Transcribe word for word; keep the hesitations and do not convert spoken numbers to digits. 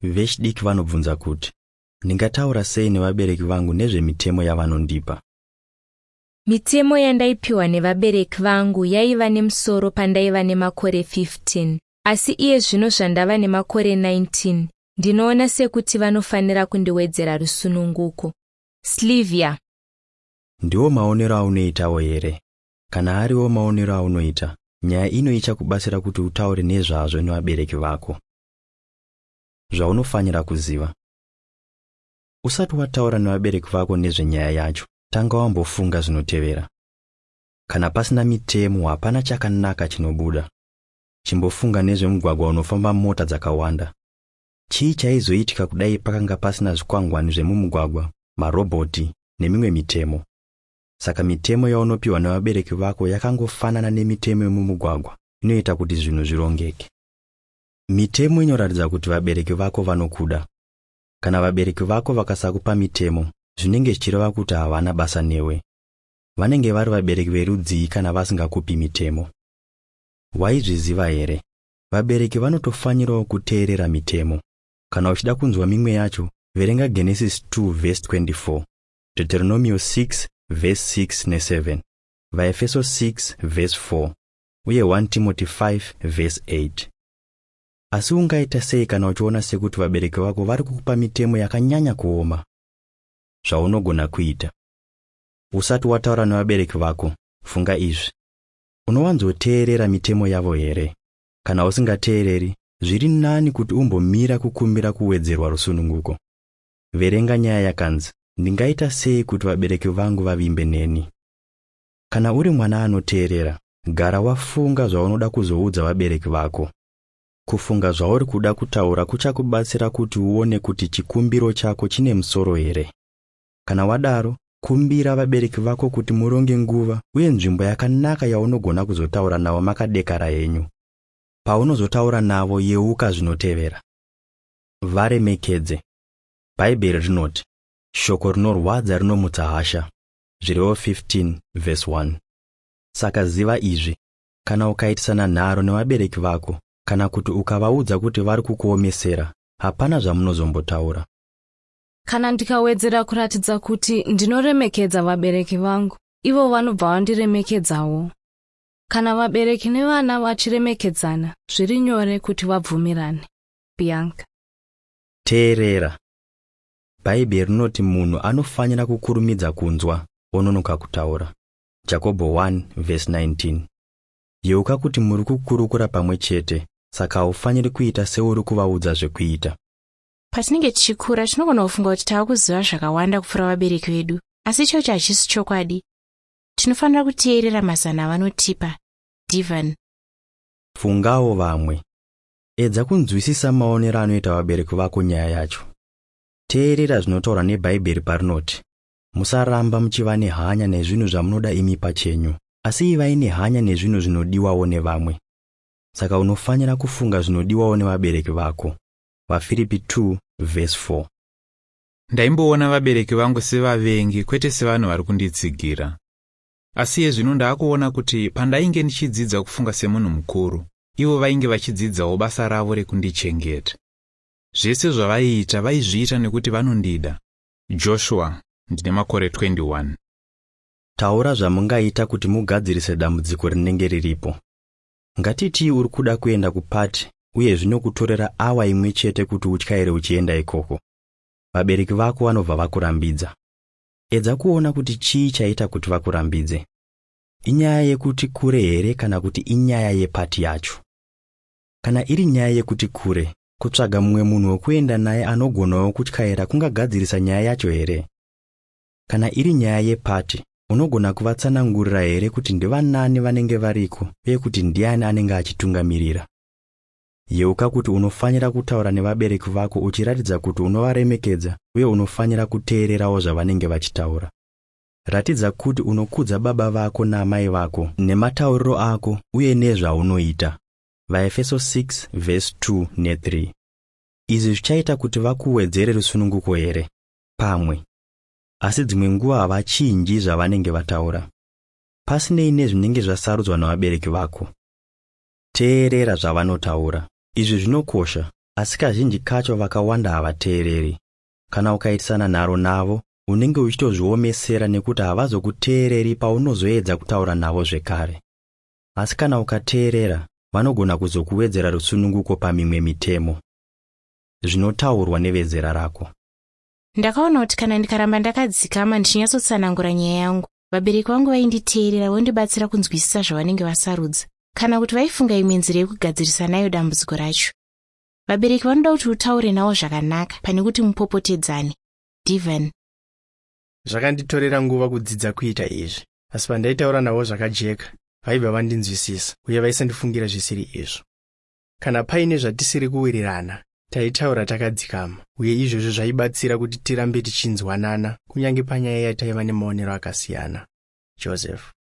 Vechidiki vanobvunza kuti, ndingataura sei nevabereki vangu nezvemitemo yavanondipa? Mitemo yandaipiwa nevabereki vangu yaiva nemusoro pandaiva nemakore fifteen, asi iye zvino zvandava nemakore nineteen, ndinoona sekuti vanofanira kundiwedzera rusununguko. Slivia. Ndiwo maonero aunoitawo here? Kana ariwo maonero aunoita, nyaya ino ichakubatsira kuti utaure nezvazvo nevabereki vako. Zvaunofanira kuziva. Usati wataura nevabereki vako nezvenyaya yacho, tanga wambofunga zvinotevera. Kana pasina mitemo, hapana chakanaka chinobuda. Chimbofunga nezvemugwagwa unofamba mota dzakawanda. Chii chaizoitika kudai pakanga pasina zvikwangwani zvemumugwagwa, marobhoti nemimwe mitemo? Saka mitemo yaunopiwa nevabereki vako yakangofanana nemitemo yemumugwagwa, inoita kuti zvinhu zvirongeke. Mitemo inoratidza kuti vabereki vako vanokuda. Kana vabereki vako vakasakupa mitemo, zvinenge zvichireva kuti havana basa newe. Vanenge vari vabereki verudzii kana vasingakupi mitemo? Waizviziva here? Vabereki vanotofanirawo kuteerera mitemo. Kana uchida kunzwa mimwe yacho, verenga Genesis two verse twenty-four, Deuteronomio six verse six ne seven, VaEfeso six verse four, uye one Timothy five verse eight. Asi ungaita sei kana uchiona sekuti vabereki vako vari kukupa mitemo yakanyanya kuoma? Zvaunogona kuita. Usati wataura nevabereki vako, funga izvi. Unowanzoteerera mitemo yavo here? Kana usingateereri, zviri nani kuti umbomira kukumbira kuwedzerwa rusununguko. Verenga nyaya yakanzi, ndingaita sei kuti vabereki vangu vavimbe neni? Kana uri mwana anoteerera, gara wafunga zvaunoda kuzoudza vabereki vako. Kufunga zvauri kuda kutaura kuchakubatsira kuti uone kuti chikumbiro chako chine musoro here. Kana wadaro, kumbira vabereki vako kuti muronge nguva uye nzvimbo yakanaka yaunogona kuzotaura navo makadekara henyu. Paunozotaura navo, yeuka zvinotevera. Varemekedze. Bhaibheri rinoti, shoko rinorwadza rinomutsa hasha. Zvirevo fifteen verse one. Saka ziva izvi, kana ukaitisana nharo nevabereki vako, kana kuti ukavaudza kuti vari kukuomesera, hapana zvamunozombotaura. Kana ndikawedzera kuratidza kuti ndinoremekedza vabereki vangu, ivo vanobva vandiremekedzawo. Kana vabereki nevana vachiremekedzana, zviri nyore kuti vabvumirane. Bianca. Teerera. Bhaibheri rinoti munhu anofanira kukurumidza kunzwa, ononoka kutaura. Jakobho one verse nineteen. Yeuka kuti muri kukurukura pamwe chete, saka haufaniri kuita seuri kuvaudza zvekuita. Patinenge tichikura tinogona kufunga kuti tava kuziva zvakawanda kupfuura vabereki vedu, asi ichocho hachisi chokwadi. Tinofanira kuteerera mazano avanotipa. Divan. Fungawo vamwe. Edza kunzwisisa maonero anoita vabereki vako nyaya yacho. Teerera zvinotaurwa neBhaibheri parinoti, musaramba muchiva nehanya nezvinhu zvamunoda imi pachenyu, asi ivai nehanya nezvinhu zvinodiwawo nevamwe. Saka unofanira kufunga zvinodiwawo nevabereki vako. VaFiripi two verse four. Ndaimboona vabereki vangu sevavengi kwete sevanhu vari kunditsigira. Asi iye zvino ndaakuona kuti pandainge ndichidzidza kufunga semunhu mukuru, ivo vainge vachidzidzawo basa ravo rekundichengeta. Zvese zvavaiita vaizviita nekuti vanondida. Joshua, ndine makore twenty-one. Taura zvamungaita kuti mugadzirise dambudziko rinenge riripo. Ngatitii uri kuda kuenda kupati uye zvinokutorera awa imwe chete kuti utyaire uchienda ikoko. Vabereki vako vanobva vakurambidza. Edza kuona kuti chii chaita kuti vakurambidze. Inyaya yekuti kure here kana kuti inyaya yepati yacho? Kana iri nyaya yekuti kure, kutsvaga mumwe munhu wekuenda naye anogonawo kutyaira kungagadzirisa nyaya yacho here? Kana iri nyaya yepati, unogona kuvatsanangurira here kuti ndivanani vanenge variko uye kuti ndiani anenge achitungamirira? Yeuka kuti unofanira kutaura nevabereki vako uchiratidza kuti unovaremekedza uye unofanira kuteererawo zvavanenge vachitaura. Ratidza kuti unokudza baba vako naamai vako nematauriro ako uye nezvaunoita. VaEfeso six verse two ne three. Izvi zvichaita kuti vakuwedzere rusununguko here? Pamwe. Asi dzimwe nguva havachinji zvavanenge vataura. Pasinei nezvinenge zvasarudzwa navabereki vako. Teerera zvavanotaura. Izvi zvinokosha Asi kazhinji kacho vakawanda havateereri. Kana ukaitisana nharo navo, unenge uchitozviomesera nekuti havazokuteereri paunozoedza kutaura navo zvekare. Asi kana ukateerera, vanogona kuzokuwedzera rusununguko pamimwe mitemo. Zvinotaurwa nevezera rako. Ndakaona kuti kana ndikaramba ndakadzikama ndichinyatsotsanangura nyaya yangu, vabereki vangu vainditeerera vondibatsira kunzwisisa zvavanenge vasarudza, kana kuti vaifunga imwe nzira yekugadzirisa nayo dambudziko racho. Vabereki vanoda kuti utaure navo zvakanaka pane kuti mupopotedzane. Divan. Zvakanditorera nguva kudzidza kuita izvi, asi pandaitaura navo zvakajeka, vaibva vandinzwisisa uye vaisandifungira zvisiri izvo. Kana paine zvatisiri kuwirirana, taitaura takadzikama, uye izvozvo zvaibatsira kuti tirambe tichinzwanana kunyange panyaya yataiva nemaonero akasiyana. Joseph.